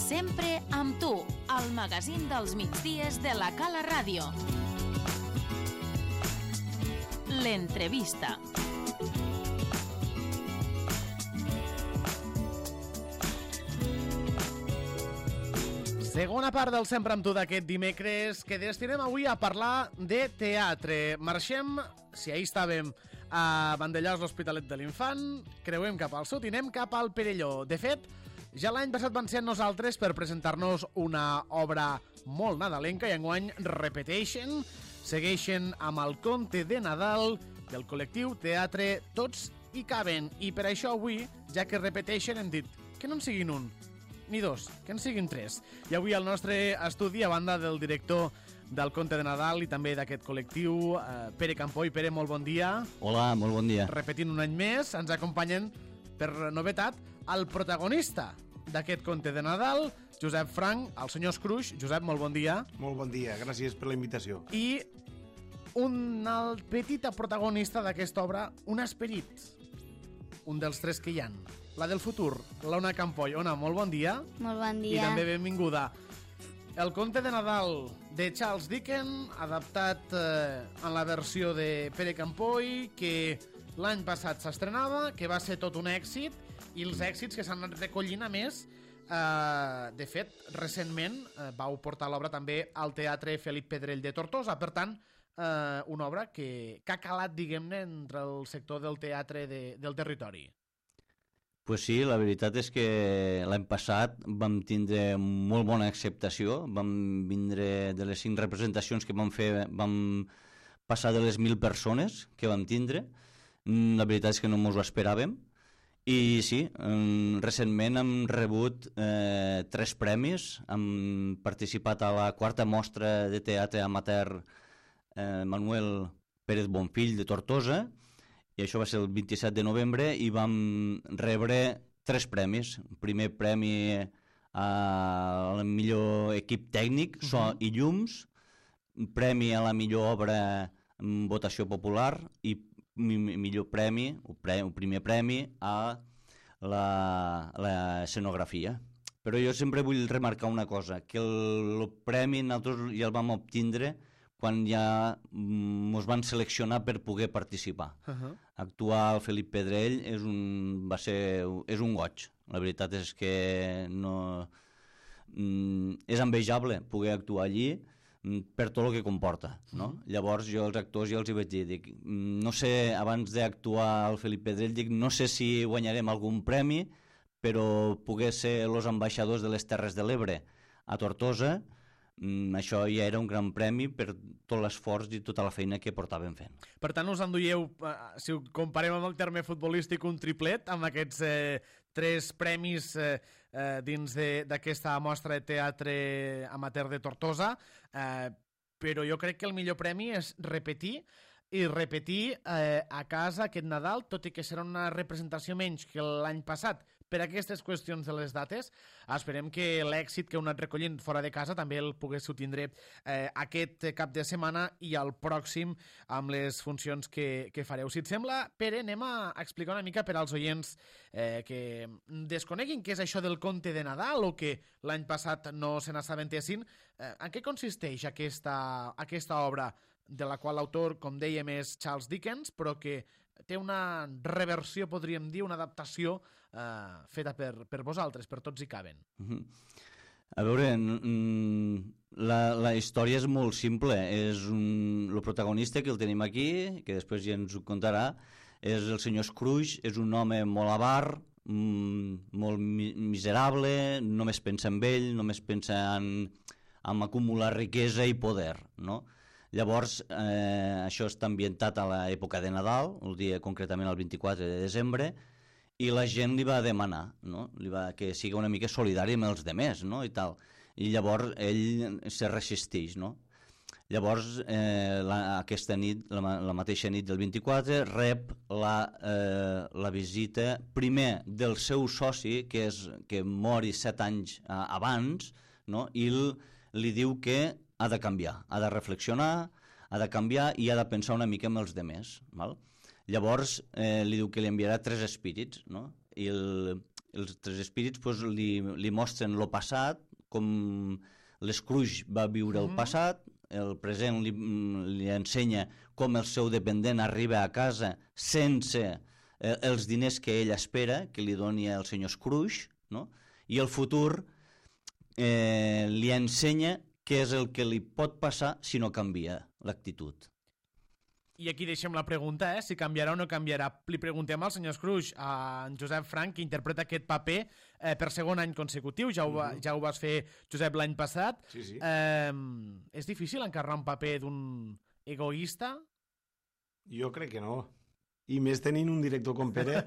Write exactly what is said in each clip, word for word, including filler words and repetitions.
Sempre amb tu, al magazín dels migdies de la Cala Ràdio. L'entrevista. Segona part del Sempre amb tu d'aquest dimecres, que destinem avui a parlar de teatre. Marxem, si ahir estàvem a Vandellòs, l'Hospitalet de l'Infant, creuem cap al sud i anem cap al Perelló. De fet, ja l'any passat van ser nosaltres per presentar-nos una obra molt nadalenca i enguany repeteixen, segueixen amb el conte de Nadal del col·lectiu Teatre Tots hi caben. I per això avui, ja que repeteixen, hem dit que no en siguin un ni dos, que en siguin tres. I avui al nostre estudi, a banda del director del Conte de Nadal i també d'aquest col·lectiu, eh, Pere Campoy. Pere, molt bon dia. Hola, molt bon dia. Repetint un any més, ens acompanyen, per novetat, el protagonista d'aquest Conte de Nadal, Josep Frank, el senyor Scrooge. Josep, molt bon dia. Molt bon dia, gràcies per la invitació. I un petita protagonista d'aquesta obra, un esperit, un dels tres que hi ha, la del futur, l'Ona Campoy. Ona, molt bon dia. Molt bon dia. I també benvinguda. El conte de Nadal de Charles Dickens, adaptat eh, en la versió de Pere Campoy, que l'any passat s'estrenava, que va ser tot un èxit, i els èxits que s'han anat recollint a més. Eh, de fet, recentment eh, vau portar l'obra també al Teatre Felip Pedrell de Tortosa. Per tant, eh, una obra que, que ha calat, diguem-ne, entre el sector del teatre de, del territori. Pues sí, la veritat és que l'any passat vam tindre molt bona acceptació, vam vindre de les cinc representacions que vam fer, vam passar de les mil persones que vam tindre. La veritat és que no ens ho esperàvem. I sí, recentment hem rebut eh, tres premis, hem participat a la quarta mostra de teatre amateur eh, Manuel Pérez Bonfill de Tortosa, i això va ser el vint-i-set de novembre, i vam rebre tres premis. Primer premi al millor equip tècnic, so uh-huh. i llums, premi a la millor obra en votació popular i millor premi, o, pre, o primer premi a la, la escenografia. Però jo sempre vull remarcar una cosa, que el, el premi nosaltres ja el vam obtindre quan ja ens van seleccionar per poder participar. Uh-huh. Actuar al Felip Pedrell és un, va ser, és un goig. La veritat és que no, és envejable poder actuar allí per tot el que comporta. No? Uh-huh. Llavors jo als actors ja els hi vaig dir, dic, no sé, abans d'actuar al Felip Pedrell, dic, no sé si guanyarem algun premi, però poder ser els ambaixadors de les Terres de l'Ebre a Tortosa, Mm, això ja era un gran premi per tot l'esforç i tota la feina que portàvem fent. Per tant, us enduieu, eh, si ho comparem amb el terme futbolístic, un triplet amb aquests eh, tres premis eh, eh, dins d'aquesta mostra de teatre amateur de Tortosa, eh, però jo crec que el millor premi és repetir i repetir eh, a casa aquest Nadal, tot i que serà una representació menys que l'any passat per aquestes qüestions de les dates. Esperem que l'èxit que heu anat recollint fora de casa també el poguéssiu tindre eh, aquest cap de setmana i el pròxim amb les funcions que, que fareu. Si et sembla, Pere, anem a explicar una mica per als oients eh, que desconeguin què és això del conte de Nadal o que l'any passat no se n'assabentessin. Eh, en què consisteix aquesta, aquesta obra de la qual l'autor, com dèiem, és Charles Dickens, però que té una reversió, podríem dir, una adaptació eh, feta per, per vosaltres, per Tots hi caben. Uh-huh. A veure, la, la història és molt simple. És un, el protagonista que el tenim aquí, que després ja ens ho contarà, és el senyor Scrooge, és un home molt avar, molt miserable, només pensa en ell, només pensa en, en acumular riquesa i poder, no? Llavors, eh, això està ambientat a l'època de Nadal, el dia concretament el vint-i-quatre de desembre, i la gent li va demanar, no? Li va, que sigui una mica solidari amb els demés, no? I tal. I llavors ell se resisteix, no? Llavors, eh, la, aquesta nit, la, la mateixa nit del vint-i-quatre, rep la, eh, la visita primer del seu soci, que, és, que mori set anys eh, abans, no? I l, li diu que ha de canviar, ha de reflexionar, ha de canviar i ha de pensar una mica amb els demés. Val? Llavors eh, li diu que li enviarà tres espírits, no? I el, els tres espírits pues, li, li mostren el passat, com l'Scrooge va viure el passat, el present li, li ensenya com el seu dependent arriba a casa sense eh, els diners que ell espera que li doni el senyor Scrooge, no? I el futur eh, li ensenya què és el que li pot passar si no canvia l'actitud. I aquí deixem la pregunta, eh? Si canviarà o no canviarà. Li preguntem al senyor Scrooge, a en Josep Frank, que interpreta aquest paper eh, per segon any consecutiu. Ja ho, va, ja ho vas fer, Josep, l'any passat. Sí, sí. Eh, és difícil encarnar un paper d'un egoista? Jo crec que no. I més tenint un director com Pere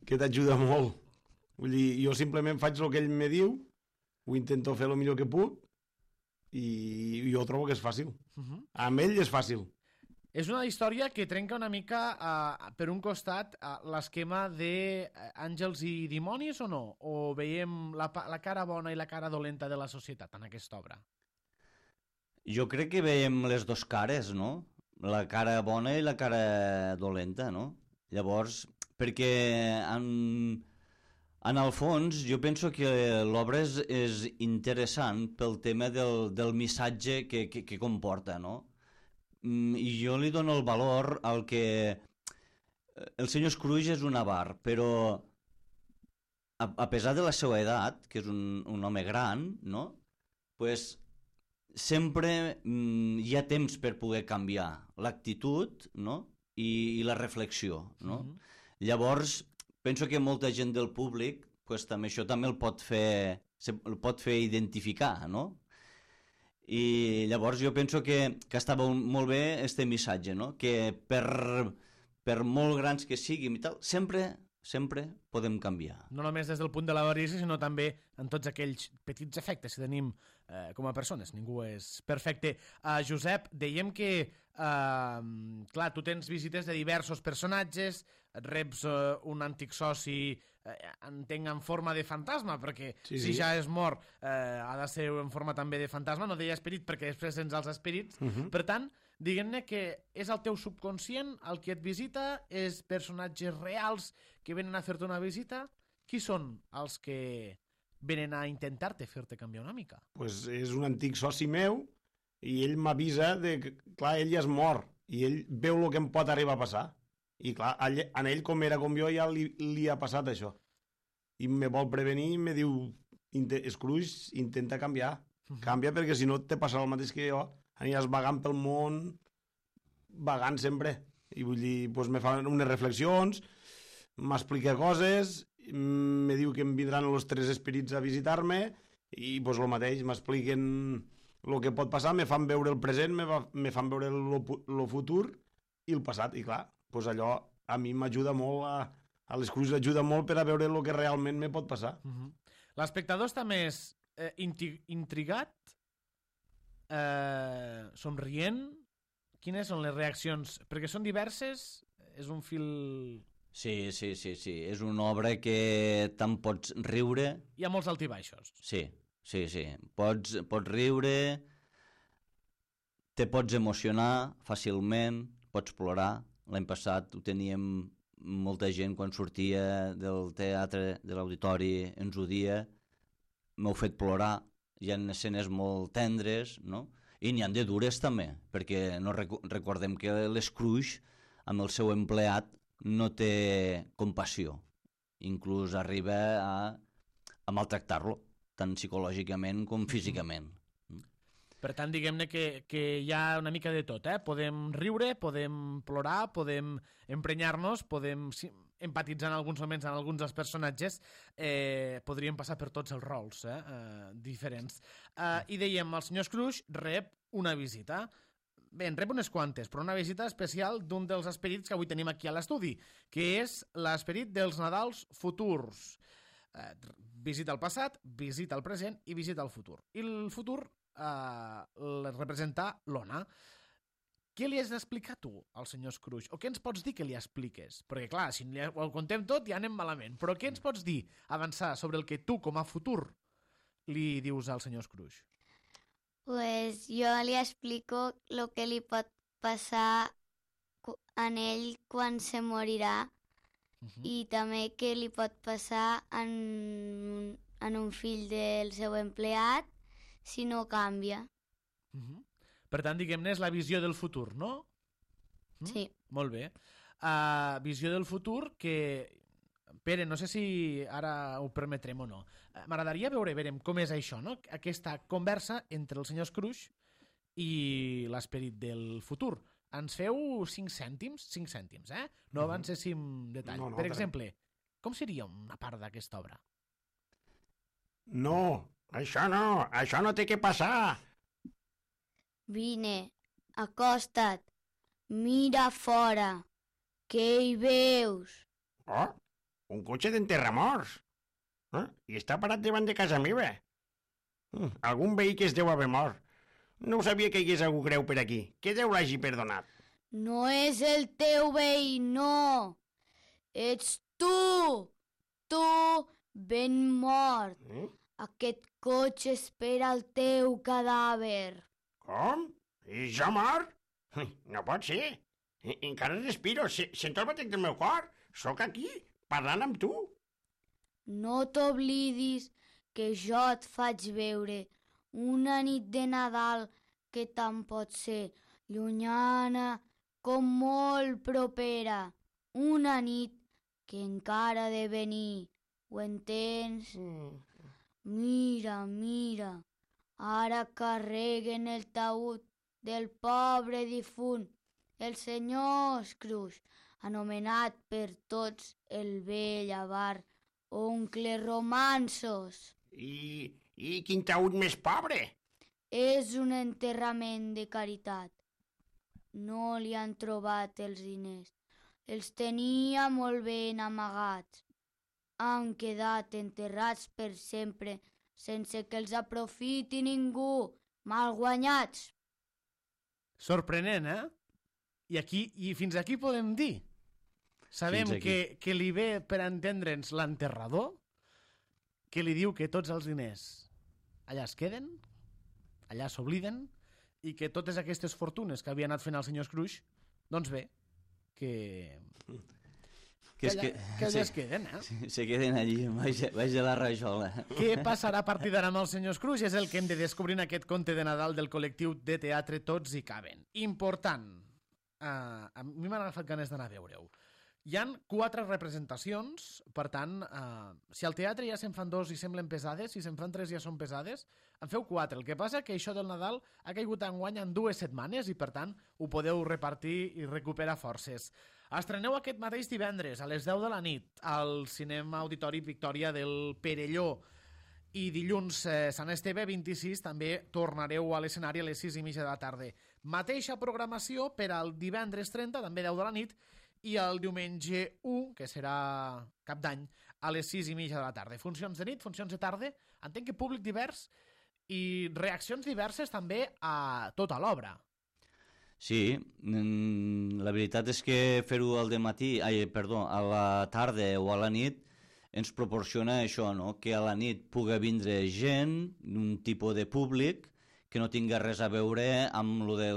que t'ajuda molt. Vull dir, jo simplement faig el que ell me diu, ho intento fer el millor que puc i jo trobo que és fàcil. Uh -huh. Amb ell és fàcil. És una història que trenca una mica, uh, per un costat, uh, l'esquema d'àngels i dimonis o no? O veiem la, la cara bona i la cara dolenta de la societat en aquesta obra? Jo crec que veiem les dues cares, no? La cara bona i la cara dolenta, no? Llavors, perquè en, en el fons jo penso que l'obra és, és interessant pel tema del, del missatge que, que, que comporta, no? I jo li dono el valor al que el senyor Scrooge és un avar, però a, a pesar de la seva edat, que és un, un home gran, no? Pues sempre mm, hi ha temps per poder canviar l'actitud, no? I, i la reflexió, no? Mm-hmm. Llavors, penso que molta gent del públic pues, també això també el pot fer, el pot fer identificar, no? I llavors jo penso que, que estava molt bé este missatge, no? Que per, per molt grans que siguin i tal, sempre, sempre podem canviar. No només des del punt de l'avarícia, sinó també en tots aquells petits efectes que tenim eh, com a persones. Ningú és perfecte. Uh, Josep, dèiem que, uh, clar, tu tens visites de diversos personatges, reps uh, un antic soci, uh, entenc, en forma de fantasma, perquè sí, si sí. ja és mort uh, ha de ser en forma també de fantasma, no deia esperit perquè després tens els espírits. Uh -huh. Per tant, diguem-ne que és el teu subconscient el que et visita, és personatges reals que venen a fer-te una visita. Qui són els que venen a intentar-te fer-te canviar una mica? Pues és un antic soci meu i ell m'avisa de que, clar, ell ja és mort i ell veu el que em pot arribar a passar. I clar, en ell, com era com jo, ja li, li ha passat això. I me vol prevenir i me diu, Scrooge, intenta canviar. Uh-huh. Canvia perquè si no te passarà el mateix que jo. Aniràs vagant pel món, vagant sempre. I vull dir, doncs me fan unes reflexions, m'explica coses, me diu que em vindran els tres espírits a visitar-me i doncs el mateix, m'expliquen el que pot passar, me fan veure el present, me, va, me fan veure el futur i el passat. I clar, doncs allò a mi m'ajuda molt, a, a l'Scrooge l'ajuda molt per a veure el que realment me pot passar. Uh-huh. L'espectador està més eh, intrigat, eh, somrient. Quines són les reaccions? Perquè són diverses, és un fil... Sí, sí, sí, sí. És una obra que tant pots riure... Hi ha molts altibaixos. Sí, sí, sí. Pots, pots riure, te pots emocionar fàcilment, pots plorar. L'any passat ho teníem molta gent quan sortia del teatre, de l'auditori, ens ho dia, m'heu fet plorar, hi ha escenes molt tendres, no? I n'hi ha de dures també, perquè no rec recordem que l'Scrooge, amb el seu empleat, no té compassió. Inclús arriba a, a maltractar-lo, tant psicològicament com físicament. Per tant, diguem-ne que, que hi ha una mica de tot, eh? Podem riure, podem plorar, podem emprenyar-nos, podem empatitzar en alguns moments en alguns dels personatges, eh, podríem passar per tots els rols eh? Eh, diferents. Eh, I dèiem, el senyor Scrooge rep una visita. Bé, en rep unes quantes, però una visita especial d'un dels esperits que avui tenim aquí a l'estudi, que és l'esperit dels Nadals futurs. Eh, visita el passat, visita el present i visita el futur. I el futur Uh, representar l'Ona. Què li has d'explicar tu al senyor Scrooge? O què ens pots dir que li expliques? Perquè clar, si ho contem tot ja anem malament, però què ens pots dir, avançar sobre el que tu com a futur li dius al senyor Scrooge? Pues jo li explico el que li pot passar en ell quan se morirà Uh-huh. i també què li pot passar en, en un fill del seu empleat si no canvia. Uh-huh. Per tant, diguem-ne, és la visió del futur, no? Mm? Sí. Molt bé. Uh, visió del futur que... Pere, no sé si ara ho permetrem o no. Uh, M'agradaria veure, veurem com és això, no? Aquesta conversa entre el senyor Scrooge i l'esperit del futur. Ens feu cinc cèntims? cinc cèntims, eh? No Mhm. avancéssim detall. No, no, per tra- exemple, com seria una part d'aquesta obra? No, això no, això no té que passar. Vine, acosta't, mira fora, què hi veus? Oh, un cotxe d'enterramorts. Eh? I està parat davant de casa meva. Mm, algun veí que es deu haver mort. No sabia que hi hagués algú greu per aquí. Què Déu l'hagi perdonat? No és el teu veí, no. Ets tu, tu ben mort. Eh? Aquest cotxe espera el teu cadàver. Com? I jo mort? Ai, no pot ser. E- Encara respiro. Se- Sento el batec del meu cor. Sóc aquí, parlant amb tu. No t'oblidis que jo et faig veure una nit de Nadal que tant pot ser llunyana com molt propera. Una nit que encara ha de venir. Ho entens? Mira, mira, ara carreguen el taüt del pobre difunt, el senyor Scrooge, anomenat per tots el vell avar, oncle Romansos. I, i quin taüt més pobre? És un enterrament de caritat. No li han trobat els diners. Els tenia molt ben amagats. Han quedat enterrats per sempre, sense que els aprofiti ningú. Mal guanyats. Sorprenent, eh? I, aquí, i fins aquí podem dir. Sabem Fins aquí. que, que li ve per entendre'ns l'enterrador, que li diu que tots els diners allà es queden, allà s'obliden, i que totes aquestes fortunes que havia anat fent el senyor Scrooge, doncs bé, que, Que, és allà, que, que allà sí, es queden, eh? se queden allí, baix, baix de la rajola. Què passarà a partir d'ara amb el senyor Scrooge és el que hem de descobrir en aquest conte de Nadal del col·lectiu de teatre Tots hi caben. Important. Uh, a mi m'han agafat ganes d'anar a veure-ho. Hi han quatre representacions, per tant, uh, si al teatre ja se'n fan dos i semblen pesades, si se'n fan tres ja són pesades, en feu quatre. El que passa que això del Nadal ha caigut enguany en dues setmanes i, per tant, ho podeu repartir i recuperar forces. Estreneu aquest mateix divendres a les deu de la nit al Cinema Auditori Victòria del Perelló i dilluns eh, Sant Esteve vint-i-sis també tornareu a l'escenari a les sis i mitja de la tarda. Mateixa programació per al divendres trenta, també deu de la nit, i el diumenge u, que serà cap d'any, a les sis i mitja de la tarda. Funcions de nit, funcions de tarda, entenc que públic divers i reaccions diverses també a tota l'obra. Sí, mm, la veritat és que fer-ho al dematí, ai, perdó, a la tarda o a la nit ens proporciona això, no? Que a la nit pugui vindre gent, un tipus de públic que no tinga res a veure amb lo de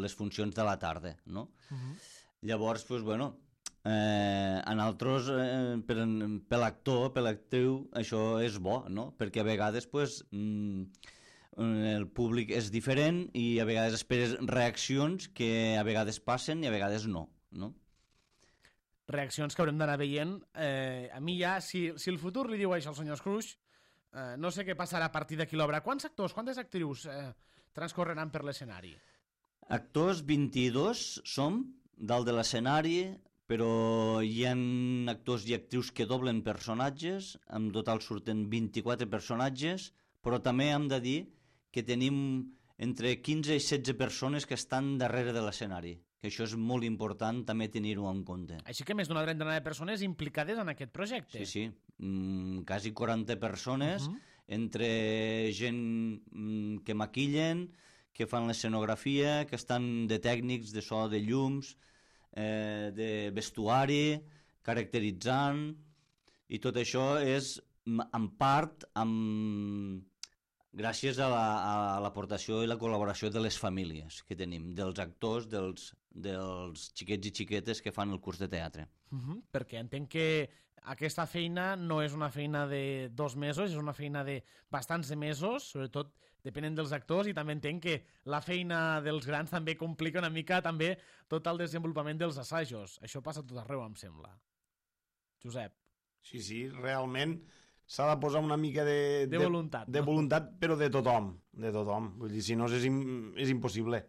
les funcions de la tarda, no? Uh-huh. Llavors, doncs, bueno, eh, a nosaltres, eh, per, per l'actor, per l'actriu, això és bo, no? Perquè a vegades, doncs, mm, el públic és diferent i a vegades esperes reaccions que a vegades passen i a vegades no, no? Reaccions que haurem d'anar veient. Eh, a mi ja, si, si el futur li diu això al senyor Scrooge, eh, no sé què passarà a partir d'aquí l'obra. Quants actors, quantes actrius eh, transcorreran per l'escenari? Actors vint-i-dos som dalt de l'escenari, però hi ha actors i actrius que doblen personatges, en total surten vint-i-quatre personatges, però també hem de dir que tenim entre quinze i setze persones que estan darrere de l'escenari, que això és molt important també tenir-ho en compte. Així que més d'una trentena de persones implicades en aquest projecte. Sí, sí, mm, quasi quaranta persones, Uh-huh. entre gent mm, que maquillen, que fan l'escenografia, que estan de tècnics, de so, de llums, eh, de vestuari, caracteritzant, i tot això és mm, en part amb gràcies a la- a l'aportació i la col·laboració de les famílies que tenim, dels actors, dels, dels xiquets i xiquetes que fan el curs de teatre. Uh -huh, perquè entenc que aquesta feina no és una feina de dos mesos, és una feina de bastants de mesos, sobretot depenent dels actors, i també entenc que la feina dels grans també complica una mica també tot el desenvolupament dels assajos. Això passa a tot arreu, em sembla. Josep. Sí, sí, realment s'ha de posar una mica de... De voluntat, De, de no? voluntat, però de tothom, de tothom. Vull dir, si no és, im, és impossible.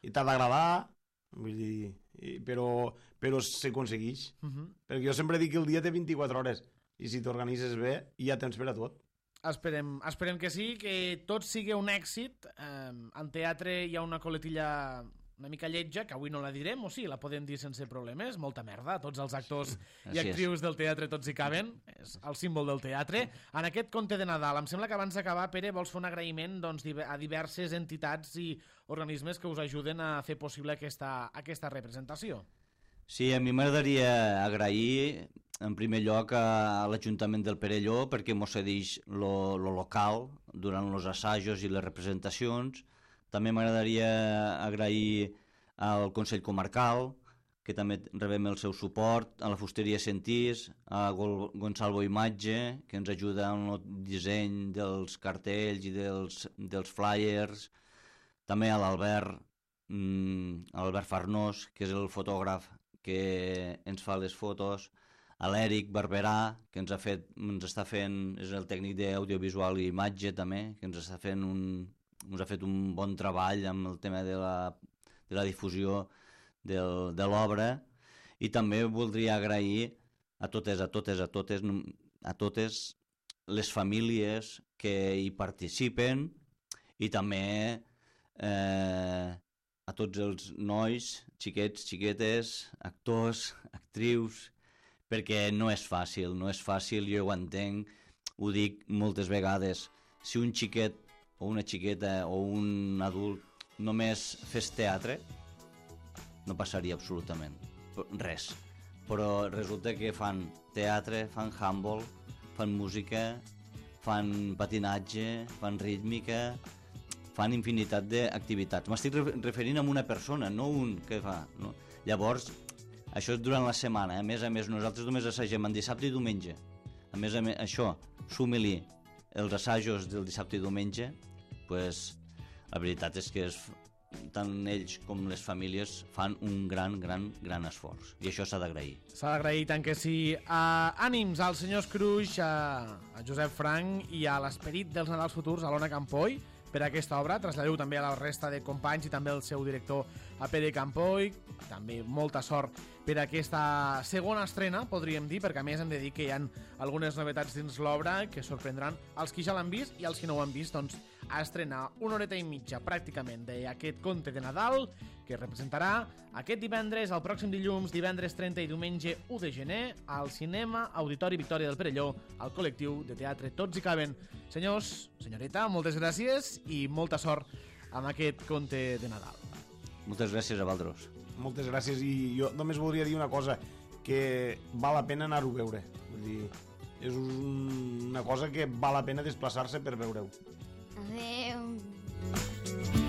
I t'ha d'agradar, vull dir, i, però, però s'aconsegueix. Uh -huh. Perquè jo sempre dic que el dia té vint-i-quatre hores, i si t'organitzes bé, hi ha temps per a tot. Esperem, esperem que sí, que tot sigui un èxit. Eh, en teatre hi ha una coletilla una mica lletja, que avui no la direm, o sí, la podem dir sense problemes, molta merda, tots els actors i Així actrius del teatre tots hi caben, és el símbol del teatre. En aquest conte de Nadal, em sembla que abans d'acabar, Pere, vols fer un agraïment doncs, a diverses entitats i organismes que us ajuden a fer possible aquesta, aquesta representació. Sí, a mi m'agradaria agrair en primer lloc a l'Ajuntament del Perelló perquè mos cedeix lo, lo local durant els assajos i les representacions. També m'agradaria agrair al Consell Comarcal, que també rebem el seu suport, a la Fusteria Sentís, a Gol Gonçalvo Imatge, que ens ajuda en el disseny dels cartells i dels, dels flyers, també a l'Albert, mm, a l'Albert Farnós, que és el fotògraf que ens fa les fotos, a l'Eric Barberà, que ens, ha fet, ens està fent, és el tècnic d'audiovisual i imatge també, que ens està fent un, ens ha fet un bon treball amb el tema de la, de la difusió del, de l'obra, i també voldria agrair a totes, a totes, a totes, a totes les famílies que hi participen i també eh, a tots els nois, xiquets, xiquetes, actors, actrius, perquè no és fàcil, no és fàcil, jo ho entenc, ho dic moltes vegades, si un xiquet o una xiqueta o un adult només fes teatre, no passaria absolutament res. Però resulta que fan teatre, fan handball, fan música, fan patinatge, fan rítmica, fan infinitat d'activitats. M'estic referint a una persona, no un que fa. No? Llavors, això és durant la setmana. A més a més, nosaltres només assagem en dissabte i diumenge. A més a més, això, sumi-li els assajos del dissabte i diumenge, pues, la veritat és que és, tant ells com les famílies fan un gran, gran, gran esforç. I això s'ha d'agrair. S'ha d'agrair tant que sí. Uh, ànims als senyors Cruix, a, a Josep Frank i a l'Esperit dels Nadals Futurs, a l'Ona Campoy, per aquesta obra. Traslladeu també a la resta de companys i també al seu director, a Pere Campoy. També molta sort per aquesta segona estrena, podríem dir, perquè a més hem de dir que hi ha algunes novetats dins l'obra que sorprendran els qui ja l'han vist i els qui no ho han vist, doncs, a estrenar una horeta i mitja pràcticament d'aquest conte de Nadal que representarà aquest divendres, el pròxim dilluns, divendres trenta i diumenge u de gener, al Cinema Auditori Victòria del Perelló, al col·lectiu de teatre Tots hi caben. Senyors, senyoreta, moltes gràcies i molta sort amb aquest conte de Nadal. Moltes gràcies a vosaltres. Moltes gràcies, i jo només voldria dir una cosa, que val la pena anar-ho a veure. Vull dir, és un, una cosa que val la pena desplaçar-se per veure-ho. Adéu.